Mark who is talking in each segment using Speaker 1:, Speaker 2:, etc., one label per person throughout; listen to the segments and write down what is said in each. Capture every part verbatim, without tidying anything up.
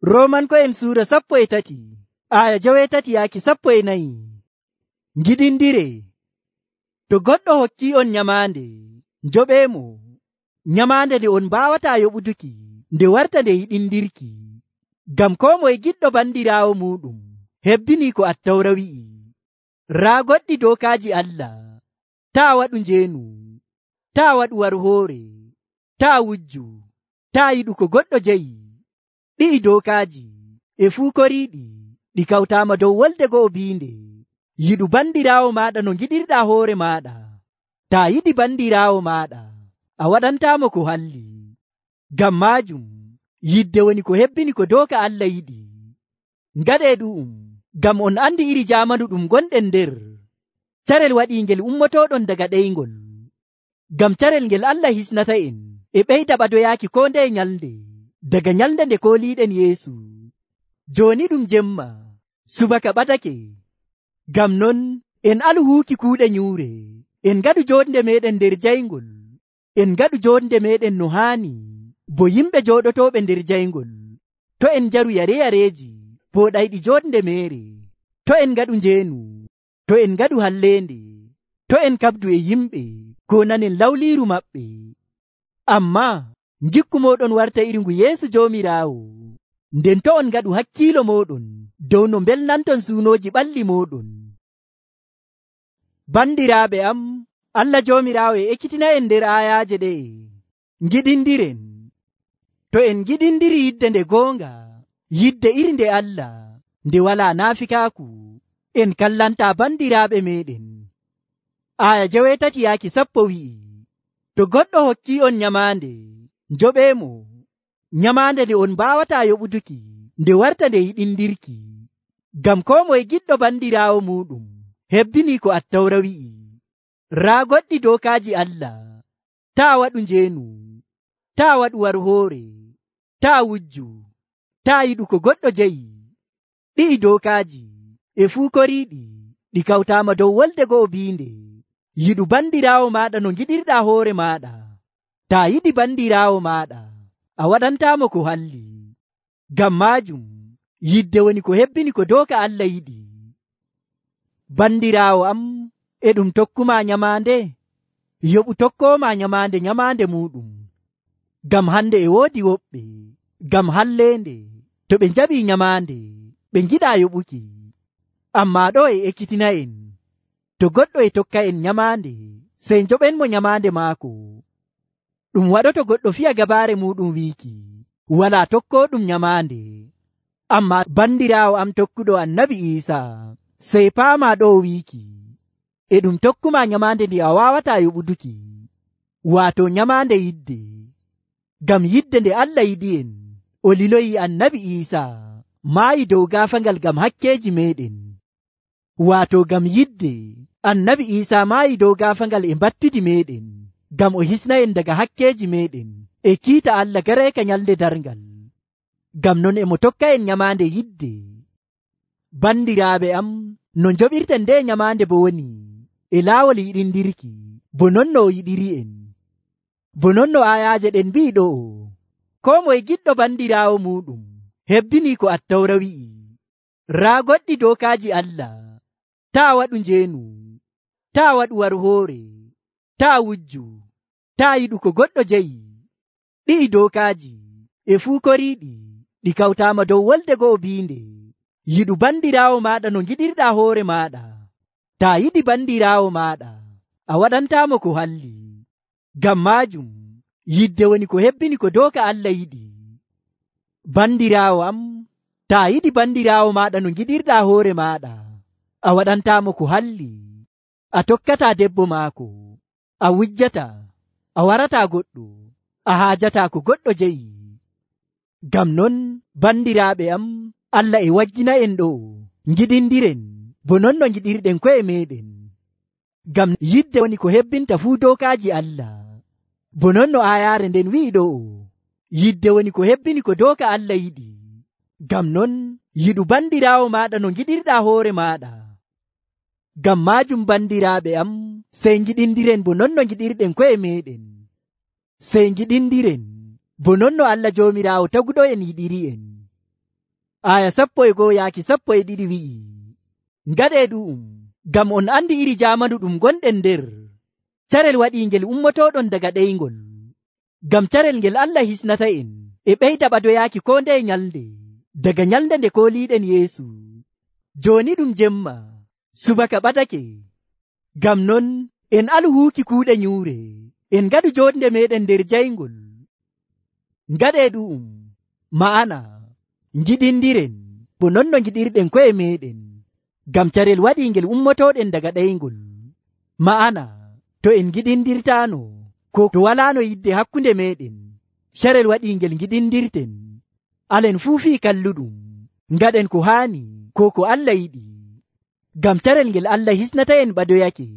Speaker 1: Roomanko'en suura sappo e tati aya jowetati yaaki sappo e nayi. Ngiɗindire. To goɗɗo hokki on nyamaande, njoɓeemo nyamaande nde on mbaawata yoɓutuki nde warta nde yiɗindirki. Ngam koo moye giɗɗo bandiraawo muɗum hebbinii ko Attawra wi'i. Raa goɗɗi dookaaji Allah: taa waɗu njeenu, taa waɗu warhoore, taa wujju, taa yiɗu ko goɗɗo jeyi. Ɗi'i dookaaji e fuu koriiɗi ɗi kawtaama dow wolde go'o biinde: yiɗu bandiraawo maaɗa no ngiɗirɗaa hoore maaɗa. Taa yiɗi bandiraawo maaɗa, a waɗantaamo ko halli. Ngam maajum yidde woni ko hebbini ko dooka Allah yiɗi. Ngaɗee ɗu'um ngam on andi iri jaamanu ɗum gonɗen nder. Carel waɗiingel ummotooɗon daga ɗeyngol. Ngam carel ngel Allah hisnata en e ɓeyda ɓadoyaaki koo ndeye nyalnde daga nyalnde nde kooliiɗen Yeesu. Jooni ɗum jemma, subaka ɓadake. Ngam non en alu huuki kuuɗe nyuure, en ngaɗu jonde meɗen nder jayngol, en ngaɗu jonde meɗen no haani bo yimɓe jooɗotooɓe nder jayngol. To en njaru yare-yareeji pooɗayɗi jonde meere, to en ngaɗu njeenu, to en ngaɗu halleende, to en kabdu e yimɓe ko nanen lawliiru maɓɓe. Ammaa ngikku mooɗon warta iri ngu Yeesu Joomiraawo, nden to on ngaɗu hakkiilo mooɗon dow no mbelnanton suunooji ɓalli mooɗon. Bandiraaɓe am, Allah Joomiraawo e ekkitina en nder aayaaje ɗe'e. Ngiɗindiren. To en ngiɗindiri yidde nde goonga, yidde iri nde Allah, nde walaa naafikaaku, en kallantaa bandiraaɓe meɗen. Aya jowetati yaaki sappo wi'i: to goɗɗo hokki on nyamaande, njoɓeemo nyamaande nde on mbaawata yoɓutuki nde warta nde yiɗindirki. Ngam koo moye giɗɗo bandiraawo muɗum hebbinii ko Attawra wi'i. Raa goɗɗi dookaaji Allah: taa waɗu njeenu, taa waɗu warhoore, taa wujju, taa yiɗu ko goɗɗo jeyi. Ɗi'i dookaaji e fuu koriiɗi ɗi kawtaama dow wolde go'o biinde: yiɗu bandiraawo maaɗa no ngiɗirɗaa hoore maaɗa. Taa yiɗi bandiraawo maaɗa, a waɗantaamo ko halli. Ngam maajum yidde woni ko hebbini ko dooka Allah yiɗi. Bandiraawo am, e ɗum tokkuma nyamaande? Yoɓu tokkooma nyamaande nyamaande muɗum. Ngam hande e woodi woɓɓe, ngam halleende, to ɓe njaɓii nyamaande, ɓe ngiɗaa yoɓuki. Ammaa ɗo e ekkitina en, to goɗɗo e tokka en nyamaande, sey njoɓenmo nyamaande maako. Ɗum waɗoto goɗɗo fiya gabaare muɗum wiiki walaa tokkooɗum nyamaande. Ammaa bandiraawo am tokkuɗo Annabi Iisaa, sey paamaa ɗo wiiki e ɗum tokkuma nyamaande ndi a waawataa yoɓutuki, waato nyamaande yidde. Ngam yidde nde Allah yiɗi en, o liloyi Annabi Iisaa maayi dow gaafangal ngam hakkeeji meɗen. Waato ngam yidde Annabi Iisaa maayi dow gaafangal e mbattudi meɗen, ngam o hisna en daga hakkeeji meɗen e kiita Allah gareeka nyalde darngal. Ngam non e mo tokka en nyamaande yidde. Bandiraaɓe am, no njoɓirten nde nyamaande bo woni e laawol yiɗindirki, bo non no o yiɗiri en. Bo non no aayaaje ɗen mbi'i ɗo'o: koo moye giɗɗo bandiraawo muɗum hebbinii ko Attawra wi'i. Raa goɗɗi dookaaji Allah: taa waɗu njeenu, taa waɗu warhoore, taa wujju, taa yiɗu ko goɗɗo jeyi. Ɗi'i dookaaji e fuu koriiɗi ɗi kawtaama dow wolde go'o biinde: yiɗu bandiraawo maaɗa no ngiɗirɗaa hoore maaɗa. Taa yiɗi bandiraawo maaɗa, a waɗantaamo ko halli. Ngam maajum yidde woni ko hebbini ko dooka Allah yiɗi. Bandiraawo am, taa yiɗi bandiraawo maaɗa no ngiɗirɗaa hoore maaɗa, a waɗantaamo ko halli. A tokkataa debbo maako, a wujjataa, a warataa goɗɗo, a haajataa ko goɗɗo jeyi. Ngam non bandiraaɓe am, Allah e waggina en ɗo: ngiɗindiren bo non no ngiɗirɗen ko'e meɗen. Ngam yidde woni ko hebbinta fuu dookaaji Allah. Bo non no aayaare nden wi'i ɗo'o: yidde woni ko hebbini ko dooka Allah yiɗi. Ngam non yiɗu bandiraawo maaɗa no ngiɗirɗaa hoore maaɗa. Ngam maajum bandiraaɓe am, sey ngiɗindiren bo non no ngiɗirɗen ko'e meɗen. Sey ngiɗindiren bo non no Allah Joomiraawo taguɗo en yiɗiri en. aya sappo e go'o yaaki sappo e ɗiɗi wi'i, ngaɗee ɗu'um ngam on andi iri jaamanu ɗum gonɗen nder. Carel waɗiingel ummotoɗon daga ɗeyngol, ngam carel ngel Allah hisnata en e ɓeyda ɓadoyaaki ko ndeye nyalnde daga nyalnde nde kooliiɗen Yeesu. Jooni ɗum jemma, subaka ɓadake. Ngam non en alu huuki kuuɗe nyuure, en ngaɗu joonde meɗen nder jayngol. Ngaɗee ɗu'um, ma'ana ngiɗindiren bo non no ngiɗirɗen ko'e meɗen, ngam carel waɗiingel ummotoɗen daga ɗeyngol. Ma'ana to en ngiɗindirtaano ko to walaano yidde hakkunde meɗen, carel waɗiingel ngiɗindirten, alen fuu fii kalluɗum ngaɗen ko haani ko ko Allah yiɗi, ngam carel ngel Allah hisnata en ɓadoyake.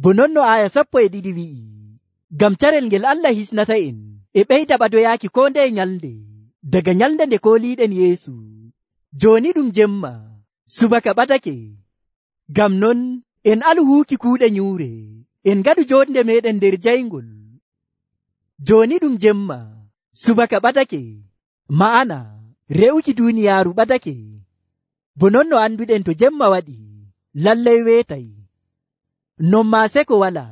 Speaker 1: Bo non no aya sappo e ɗiɗi wi'i, ngam carel ngel Allah hisnata en e ɓeyda ɓadoyaaki ko ndeye nyalnde daga nyalnde nde kooliiɗen Yeesu. Jooni ɗum jemma, subaka ɓadake. Ngam non en alu huuki kuuɗe nyuure, en ngaɗu joonde meɗen nder jayngol. Jooni ɗum jemma, subaka ɓadake, ma'ana re'uki duuniyaaru ɓadake. Bo non no anduɗen to jemma waɗi, lallay weetay. Non maa seko wala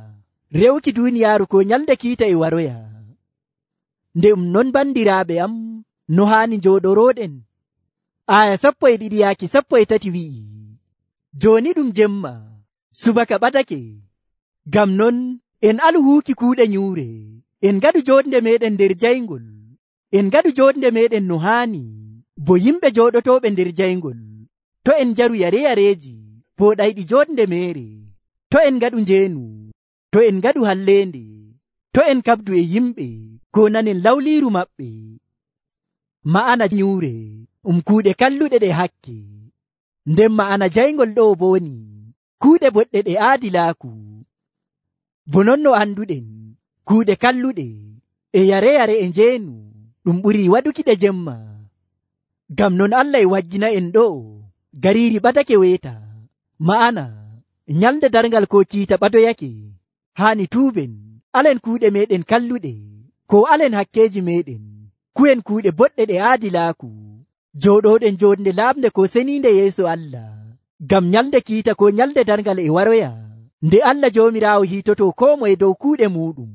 Speaker 1: re'uki duuniyaaru ko nyalde kiita e waroya. Nde um non bandiraaɓe am, no haani njooɗorooɗen. Aya sappo e ɗiɗi yaaki sappo e tati wi'i, jooni ɗum jemma, subaka ɓadake. Ngam non en alu huuki kuuɗe nyuure, en ngaɗu joonde meɗen nder jayngol. En ngaɗu joonde meɗen no haani bo yimɓe jooɗotooɓe nder jayngol. To en njaru yare-yareeji pooɗayɗi joonde meere, to en ngaɗu njeenu, to en ngaɗu halleende, to en kabdu e yimɓe ko nanen lawliiru maɓɓe. Ma'ana nyuure um kuuɗe kalluɗe ɗe hakke, nden ma'ana jayngol ɗo bo woni kuuɗe boɗɗe ɗe aadilaaku. Bo non no anduɗen, kuuɗe kalluɗe e yare-yare e njeenu ɗum ɓurii waɗuki ɗe jemma. Ngam non Allah e wajjina en ɗo gariiri ɓadake weeta, ma'ana nyalde darngal ko kiita ɓadoyake. Haani tuuben alen kuuɗe meɗen kalluɗe, ko alen hakkeeji meɗen ku'en kuuɗe boɗɗe ɗe aadilaaku, jooɗoɗen joonde laamde ko seniinde yeeso Allah, ngam nyalde kiita ko nyalde darngal e waroya, nde Allah Joomiraawo hiitoto koo moye dow kuuɗe muɗum.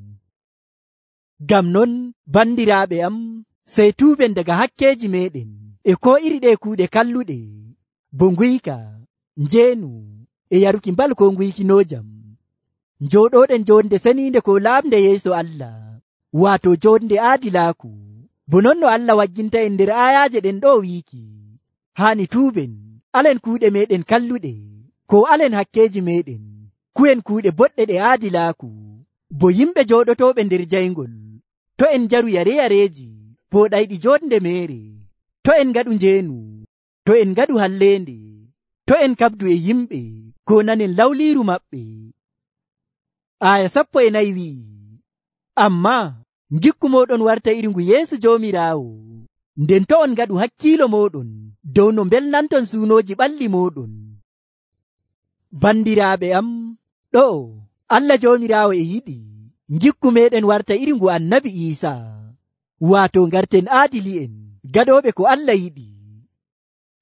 Speaker 1: Ngam non bandiraaɓe am, sey tuuben daga hakkeeji meɗen e ko iri ɗe kuuɗe kalluɗe, bo nguyka, njeenu e yaruki mbal ko nguykinojam, njooɗoɗen joonde seniinde ko laamde yeeso Allah, waato joonde aadilaaku. Bo non no Allah wajjinta en nder ayaaje ɗen ɗo wiiki, haani tuuben alen kuuɗe meɗen kalluɗe, ko alen hakkeeji meɗen ku'en kuuɗe boɗɗe ɗe aadilaaku, bo yimɓe jooɗotooɓe nder jayngol. To en njaru yare-yareeji pooɗayɗi joonde meere, to en ngaɗu njeenu, to en ngaɗu halleende, to en kabdu e yimɓe ko nanen lawliiru maɓɓe. Aya sappo e nayi wi'i, amma ngikku moɗon warta iri ngu Yeesu Joomiraawo, nden to on ngaɗu hakkiilo moɗon dow no mbelnanton suunooji ɓalli moɗon. Bandiraaɓe am, ɗo Allah Joomiraawo e yiɗi ngikku meɗen warta iri ngu Annabi Iisaa, waato ngarten aadili'en gaɗooɓe ko Allah yiɗi.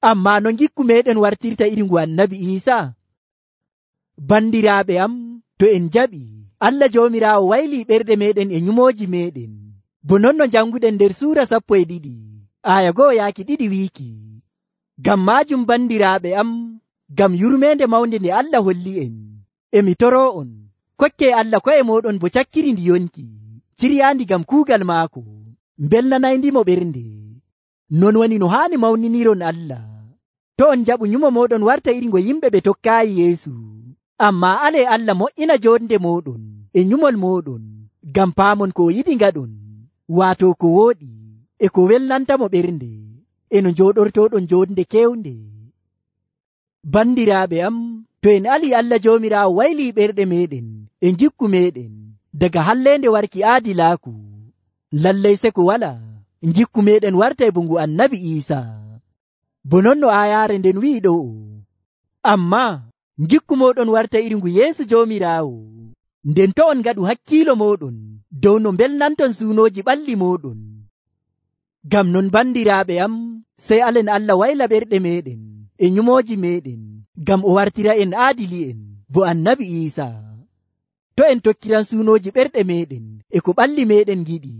Speaker 1: Amma no ngikku meɗen wartirta iri ngu Annabi Iisaa? Bandiraaɓe am, to en jaɓi Allah Joomiraawo waylii ɓerɗe meɗen e nyumooji meɗen, bo non no janguɗen nder suura sappo e ɗiɗi aya go'o yaaki ɗiɗi wiiki. Ngam maajum bandiraaɓe am, ngam yurmeende mawnde nde Allah holli en, emi toroo on, kokke Allah ko'e moɗon bo cakkiri ndi yonki, ciryaandi ngam kuugal maako, mbelnanaydimo ɓernde. Non woni no haani mawniniron Allah. To on jaɓu nyumo moɗon warta iri ngo yimɓe ɓe tokkaayi Yeesu, amma ale Allah mo'ina joonde moɗon e nyumol moɗon, ngam paamon ko yiɗi ngaɗon, waato ko wooɗi e ko welnantamo ɓernde, e no njooɗortoɗon joonde kewnde. Bandiraaɓe am, to en ali Allah Joomiraawo waylii ɓerɗe meɗen e ngikku meɗen daga halleende warki aadilaaku, lallay se ko wala ngikku meɗen warta e bungu Annabi Iisaa. Bo non no ayaare nden wi'i ɗo, amma ngikku moɗon warta iri ngu Yeesu Joomiraawo, nden to on ngaɗu hakkiilo moɗon dow no mbelnanton suunooji ɓalli moɗon. Ngam non bandiraaɓe am, sey alen Allah wayla ɓerɗe meɗen e nyumooji meɗen ngam o wartira en aadili'en bo annabi Iisa. To en tokkiran suunooji ɓerɗe meɗen e ko ɓalli meɗen giɗi,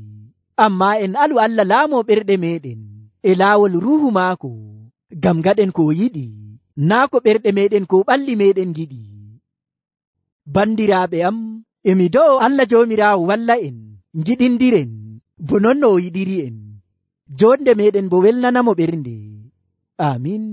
Speaker 1: amma en alu Allah laamo ɓerɗe meɗen e laawol ruuhu maako ngam gaɗen ko o yiɗi, naa ko ɓerɗe meɗen ko ɓalli meɗen giɗi. Bandiraaɓe am, emi do'o Allah Joomiraawo walla en ngiɗindiren bo non no o yiɗiri en. Jonde meɗen bo welnanamo ɓernde. Amin.